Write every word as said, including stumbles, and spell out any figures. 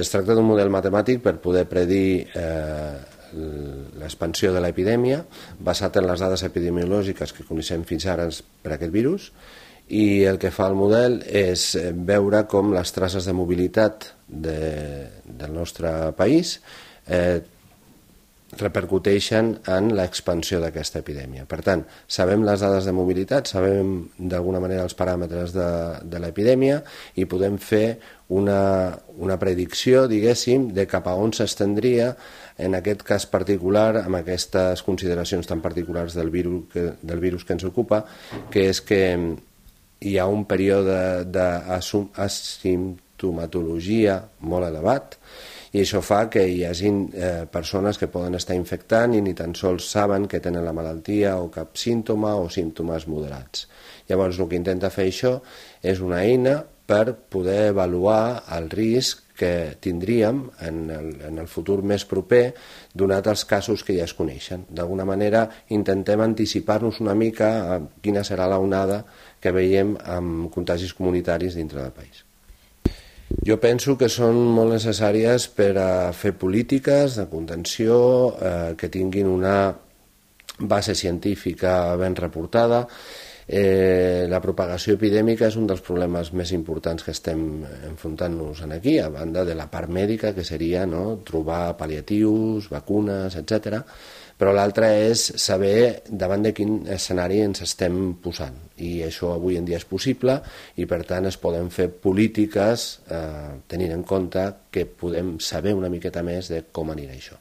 Es tracta d'un model matemàtic per poder predir eh, l'expansió de l'epidèmia basat en les dades epidemiològiques que coneixem fins ara per aquest virus, i el que fa el model és veure com les traces de mobilitat de, del nostre país eh, repercuteixen en l'expansió d'aquesta epidèmia. Per tant, sabem les dades de mobilitat, sabem d'alguna manera els paràmetres de, de l'epidèmia i podem fer una, una predicció, diguéssim, de cap a on s'estendria en aquest cas particular, amb aquestes consideracions tan particulars del virus que, del virus que ens ocupa, que és que hi ha un període d'asimptomatologia molt elevat, i això fa que hi hagi eh, persones que poden estar infectant i ni tan sols saben que tenen la malaltia o cap símptoma o símptomes moderats. Llavors el que intenta fer això és una eina per poder avaluar el risc que tindríem en el, en el futur més proper donat els casos que ja es coneixen. D'alguna manera intentem anticipar-nos una mica a quina serà l'onada que veiem amb contagis comunitaris dintre del país. Jo penso que són molt necessàries per a fer polítiques de contenció eh, que tinguin una base científica ben reportada. Eh, la propagació epidèmica és un dels problemes més importants que estem enfrontant-nos aquí, a banda de la part mèdica, que seria no, trobar pal·liatius, vacunes, etcètera. Però l'altre és saber davant de quin escenari ens estem posant, i això avui en dia és possible i per tant es poden fer polítiques eh, tenint en compte que podem saber una miqueta més de com anirà això.